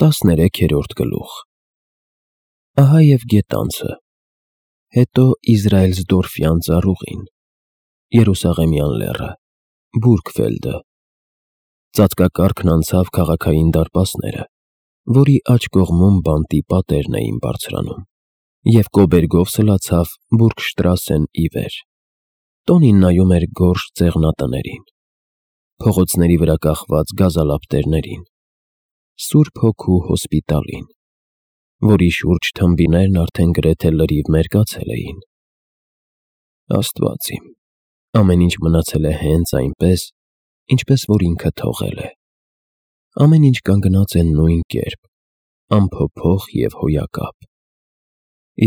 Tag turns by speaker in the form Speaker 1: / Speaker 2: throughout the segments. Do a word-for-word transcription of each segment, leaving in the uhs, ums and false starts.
Speaker 1: տասներեքերորդ գլուխ Ահա և գետանցը, հետո Իզրայելսդորֆյան ծառուղին, Երուսաղեմյան լեռը, Բուրգֆելդը, ծածկակառքն անցավ քաղաքային դարպասները, որի աջ կողմում բանտի պատերն էին բարձրանում, և կոբերգով սլացավ Բուրգշտրասեն ի վեր. տոնին նայում էր գորշ ծեղնատներին, փողոցների վրա կախված գազալապտերներին, Սուրբ Հոգու հոսպիտալին, որի շուրջ թմբիներն արդեն գրեթե լրիվ մերկացել էին։ Աստված իմ, ամեն ինչ մնացել է հենց այնպես, ինչպես որ ինքը թողել է։ Ամեն ինչ կանգնած է նույն կերպ, անփոփոխ և հոյակապ։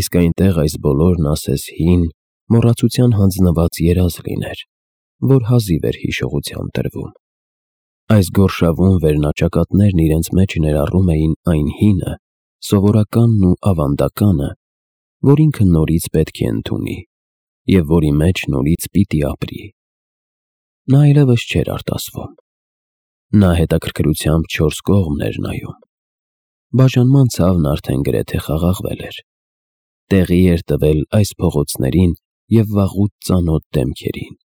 Speaker 1: Իսկ այնտեղ այս բոլորն ասես հին, մոռացության հանձնված երազ լիներ, որ հազիվ էր հիշողության տրվում։ Այս գորշավուն վերնաճակատներն իրենց մեջ ներառում էին այն հինը, սովորականն ու ավանդականը, որ ինքը նորից պետք է ընդունի և որի մեջ նորից պիտի ապրի։ Նա այլևս չէր արտասվում։ Նա հետաքրքրությամբ չորս կողմն էր նայում։ Բաժանման ցավն արդեն գրեթե խաղաղվել էր։ Տեղի էր տվել այս փողոցներին և վաղուց ծանոթ դեմքերին։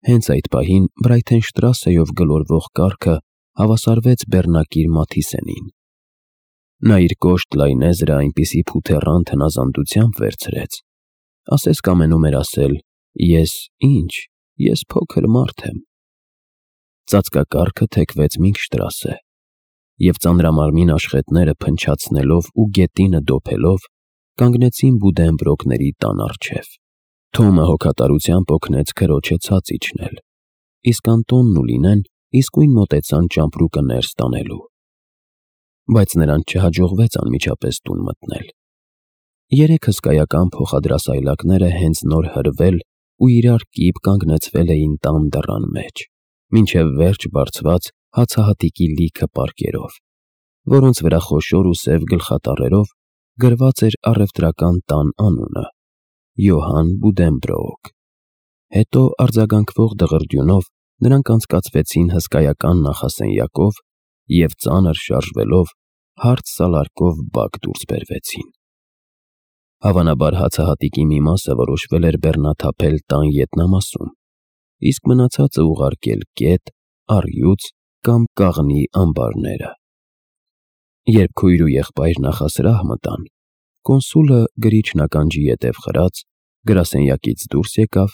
Speaker 1: Հենց այդ պահին Բրայթենշտրասեով գլորվող կառքը հավասարվեց բեռնակիր Մաթիսենին։ Նա իր կոշտ լայնեզրը այնպիսի փութեռան թնազանդությամբ վերցրեց, ասես կամենում էր ասել. «Ես ինչ, ես փոքր մարդ եմ»։ Ծածկակառքը թեքվեց Մինքշտրասե, և ծանրամարմին աշխատները փնչացնելով ու գետինը դոփելով, կանգնեցին Բուդենբրոկների տան առջև։ Թոմը հոգատարությամբ օգնեց քրոջը ցած իջնել, իսկ Անտոնն ու Լինեն իսկույն մոտեցան ճամպրուկը ներս տանելու։ Բայց նրանց չհաջողվեց անմիջապես տուն մտնել։ Երեք հսկայական փոխադրասայլակները հենց նոր հրվել ու իրար կիպ կանգնեցվել էին տան դռան մեջ, մինչև վերջ բարձված հացահատիկի լիքը պարկերով, որոնց վրա խոշոր ու սև գլխատառերով գրված էր առևտրական տան անունը՝ Յոհան Բուդենբրոոկ։ Հետո արձագանքվող դղրդյունով նրանք անցկացվեցին հսկայական նախասենյակով և ծանր շարժվելով հարթ սալարկով բակ դուրս բերվեցին։ Հավանաբար հացահատիկի մի մասը որոշվել էր բեռնաթափել տան ետնամասում, իսկ մնացածը ուղարկել կետ, առյուծ կամ կաղնի ամբարները։ Երբ քույր ու եղբայր նախասրահ մտան, կոնսուլը գրիչն ականջի ետև խրած, գրասենյակից դուրս եկավ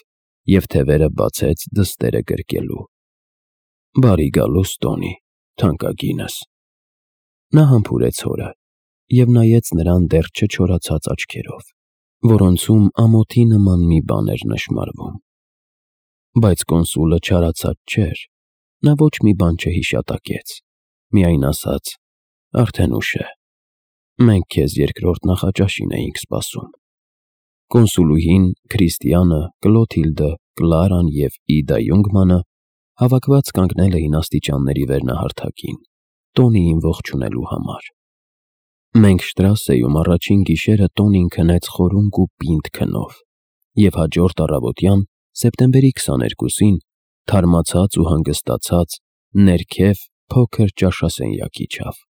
Speaker 1: և թևերը բացեց դստերը գրկելու։ «Բարի գալուստ, Տոնի, թանկագինս»։ Նա համբուրեց հորը և նայեց նրան դեռ չչորացած աչքերով, որոնցում ամոթի նման մի բան էր նշմարվում։ Բայց կոնսուլը չարացած չէր, նա ոչ մի բան չհիշատակեց, միայն ասաց. «Արդեն ուշ է, մենք քեզ երկրորդ նախաճաշին էինք սպասում»։ Կոնսուլուհին, Քրիստիանը, Կլոթիլդը, Կլարան և Իդա Յունգմանը հավաքված կանգնել էին աստիճանների վերնահարթակին, Տոնիին ողջունելու համար։ Մենքշտրասեում առաջին գիշերը Տոնին քնեց խորունկ ու պինդ քնով, և հաջորդ առավոտյան, սեպտեմբերի քսաներկուսին, թարմացած ու հանգստացած, ներքև փոքր ճաշասենյակ իջավ։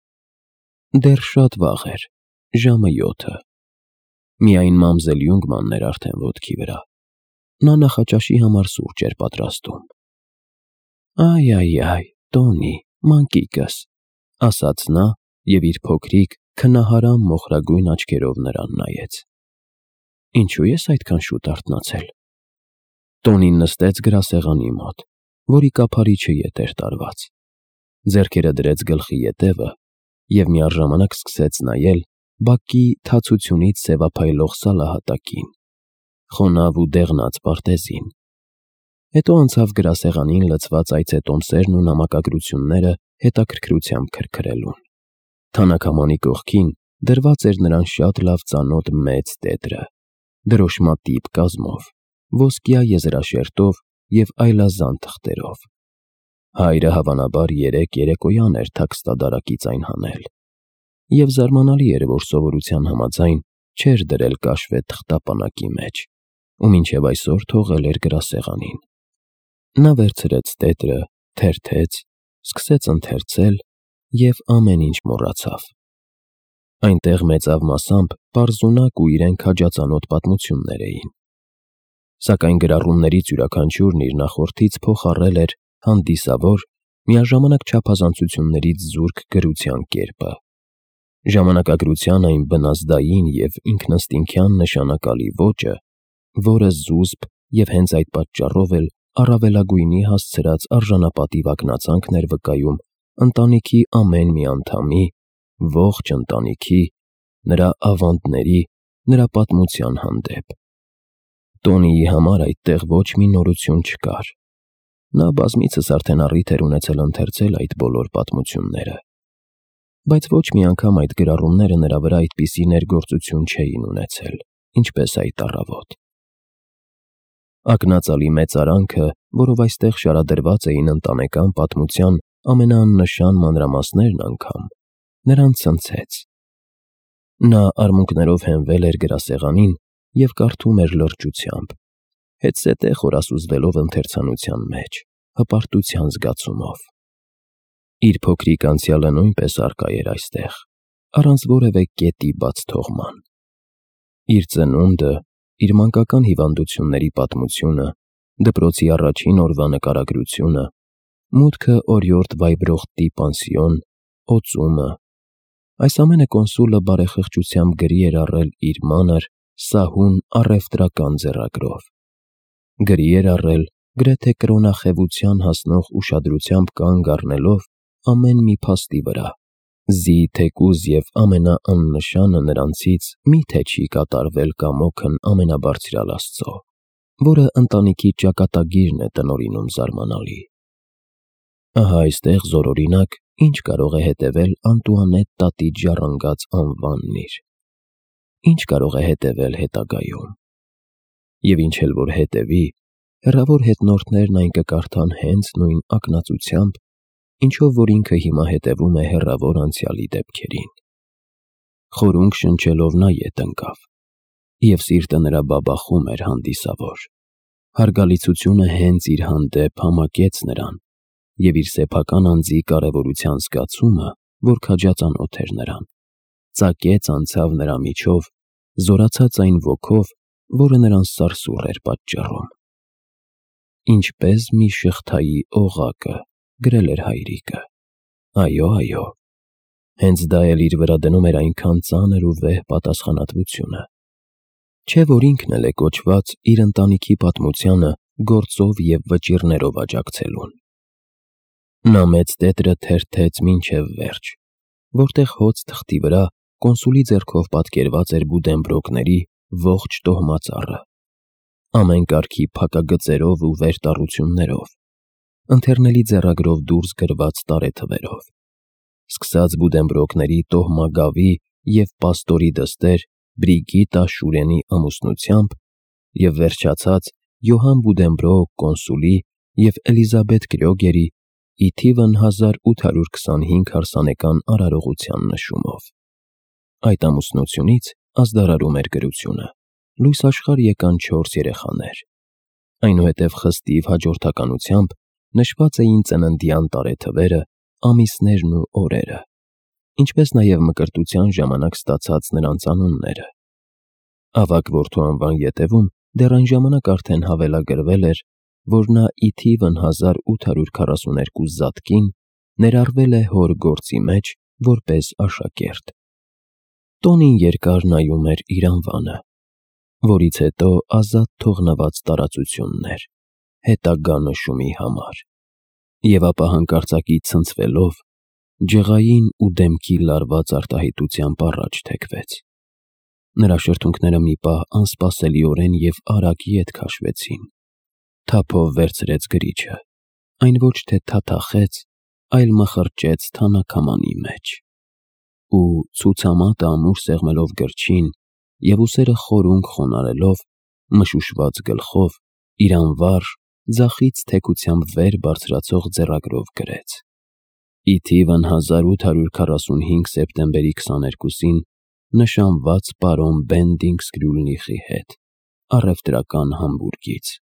Speaker 1: Դեռ շատ վաղ էր, ժամը յոթը։ Միայն մամզել Յունգմանն էր արդեն ոտքի վրա։ Նա նախաճաշի համար սուրճ էր պատրաստում։ «Այ-այ-այ, Տոնի, մանկիկս», ասաց նա և իր փոքրիկ, քնահարամ մոխրագույն աչքերով նրան նայեց։ «Ինչու ես այդքան շուտ արթնացել»։ Տոնին նստեց գրասեղանի մոտ, որի կափարիչը ետ էր տարված, ձեռքերը դրեց գլխի ետևը և միաժամանակ սկսեց նայել բակի թացությունից սևափայլող սալահատակին, խոնավ ու դեղնած պարտեզին։ Հետո անցավ գրասեղանին լցված այցետոմսերն ու նամակագրությունները հետաքրքրությամբ քրքրելուն։ Թանաքամանի կողքին դրված էր նրան շատ լավ ծանոթ մեծ տետրը, դրոշմատիպ կազմով, ոսկյա եզրաշերտով և այլազան թղթերով։ Հայրը հավանաբար երեկ երեկոյան էր թաքստադարակից այն հանել, և զարմանալի էր, որ սովորության համաձայն չէր դրել կաշվե թղթապանակի մեջ ու մինչև այսօր թողել էր գրասեղանին։ Նա վերցրեց տետրը, թերթեց, սկսեց ընթերցել և ամեն ինչ մոռացավ։ Այնտեղ մեծավ մասամբ պարզունակ ու իրեն քաջածանոթ պատմություններ էին։ Սակայն գրառումներից յուրաքանչյուրն իր նախորդից փոխառել էր հանդիսավոր, միաժամանակ չափազանցություններից զուրկ գրության կերպը։ Ժամանակագրության այն բնազդային և ինքնըստինքյան նշանակալի ոճը, որը զուսպ և հենց այդ պատճառով էլ առավելագույնի հասցրած արժանապատիվ ակնածանքն էր վկայում ընտանիքի ամեն մի անդամի, ողջ ընտանիքի, նրա ավանդների, նրա պատմության հանդեպ։ Տոնիի համար այդտեղ ոչ մի նորություն չկար։ Նա բազմիցս արդեն առիթ էր ունեցել ընթերցել այդ բոլոր պատմությունները, բայց ոչ մի անգամ այդ գրառումները նրա վրա այդպիսի ներգործություն չէին ունեցել, ինչպես այդ առավոտ։ Ակնածալի մեծարանքը, որով այստեղ շարադրված էին ընտանեկան պատմության ամենաաննշան մանրամասներն անգամ, նրան ցնցեց։ Նա արմունկներով հենվել էր գրասեղանին և կարդում էր լրջությամբ, հետզհետե խորասուզվելով ընթերցանության մեջ, հպարտության զգացումով։ Իր փոքրիկ անցյալը նույնպես առկա էր այստեղ, առանց որևէ կետի բաց թողման։ Իր ծնունդը, իր մանկական հիվանդությունների պատմությունը, դպրոցի առաջին օրվա նկարագրությունը, մուտքը օրիորդ Վայբրոխտի պանսիոն, օծումը… Այս ամենը կոնսուլը բարեխղճությամբ գրի էր առել իր մանր, սահուն առևտրական ձեռագրով։ Գրի էր առել, գրեթե կրոնախևության հասնող ուշադրությամբ կանգ առնելով ամեն մի փաստի վրա, զի թեկուզ և ամենաաննշանը նրանցից մի՞թե չի կատարվել կամոքն ամենաբարձրյալ Աստծո, որը ընտանիքի ճակատագիրն է տնօրինում զարմանալի։ Ահա այստեղ զորօրինակ ինչ կարող է հետևել Անտուանետ տատի ժառանգած անվանն իր։ Ինչ կարող է հետևել հետագայում։ Եվ ինչ էլ որ հետևի, հեռավոր հետնորդներն այն կկարդան հենց նույն ակնածությամբ, ինչով որ ինքը հիմա հետևում է հեռավոր անցյալի դեպքերին։ Խորունգ շնչելով նա ետ ընկավ, և սիրտը նրա բաբախում էր հանդիսավոր։ Հարգալիցությունը հենց իր հանդեպ համակեց նրան, և իր սեփական անձի կարևորության զգացումը, որ քաջածանոթ էր նրան, ծակեց անցավ նրա միջով, զորացած այն ոգով, որը նրան սարսուռ էր պատճառում։ Ինչպես մի շղթայի օղակը, գրել էր հայրիկը։ Այո, այո, հենց դա էլ իր վրա դնում էր այնքան ծանր ու վեհ պատասխանատվությունը, չէ՞ որ ինքն էլ է կոչված իր ընտանիքի պատմությանը գործով և վճիռներով աջակցելուն։ Նա մեծ տետրը թերթեց մինչև վերջ, որտեղ հոծ թղթի վրա կոնսուլի ձեռքով պատկերված էր Բուդենբրոկների ողջ տոհմածառը, ամեն կարգի փակագծերով ու վերտառություններով, ընթեռնելի ձեռագրով դուրս գրված տարեթվերով, սկսած Բուդենբրոկների տոհմագավի և պաստորի դստեր Բրիգիտա Շուրենի ամուսնությամբ և վերջացած Յոհան Բուդենբրոկ կոնսուլի և Էլիզաբեթ Կրյոգերի ի թիվն հազար ութ հարյուր քսանհինգ հարսանեկան արարողության նշումով։ Այդ ամուսնությունից, ազդարարում էր գրությունը, լույս աշխարհ եկան չորս երեխաներ։ Այնուհետև խստիվ հաջորդականությամբ նշված էին ծննդյան տարեթվերը, ամիսներն ու օրերը, ինչպես նաև մկրտության ժամանակ ստացած նրանց անունները։ Ավագ որդու անվան ետևում դեռ այն ժամանակ արդեն հավելագրվել էր, որ նա ի թիվն հազար ութ հարյուր քառասուներկու զատկին ներառվել է հոր գործի մեջ որպես աշակերտ։ Տոնին երկար նայում էր իր անվանը, որից հետո ազատ թողնված տարածություններ, հետագա նշումի համար, և ապա հանկարծակի ցնցվելով, ջղային ու դեմքի լարված արտահայտությամբ առաջ թեքվեց։ Նրա շրթունքները մի պահ անսպասելիորեն և արագ ետ քաշվեցին։ Թափով վերցրեց գրիչը, այն ոչ թե թաթախեց, այլ մխրճեց թանաքամանի մեջ, ու ցուցամատը ամուր սեղմելով գրչին և ուսերը խորունգ խոնարհելով, մշուշված գլխով, իր անվարժ, ձախից թեքությամբ վեր բարձրացող ձեռագրով գրեց. «Ի թիվն հազար ութ հարյուր քառասունհինգ սեպտեմբերի քսաներկուսին նշանված պարոն Բենդինգսկրյուլնիխի հետ, առևտրական Համբուրգից»։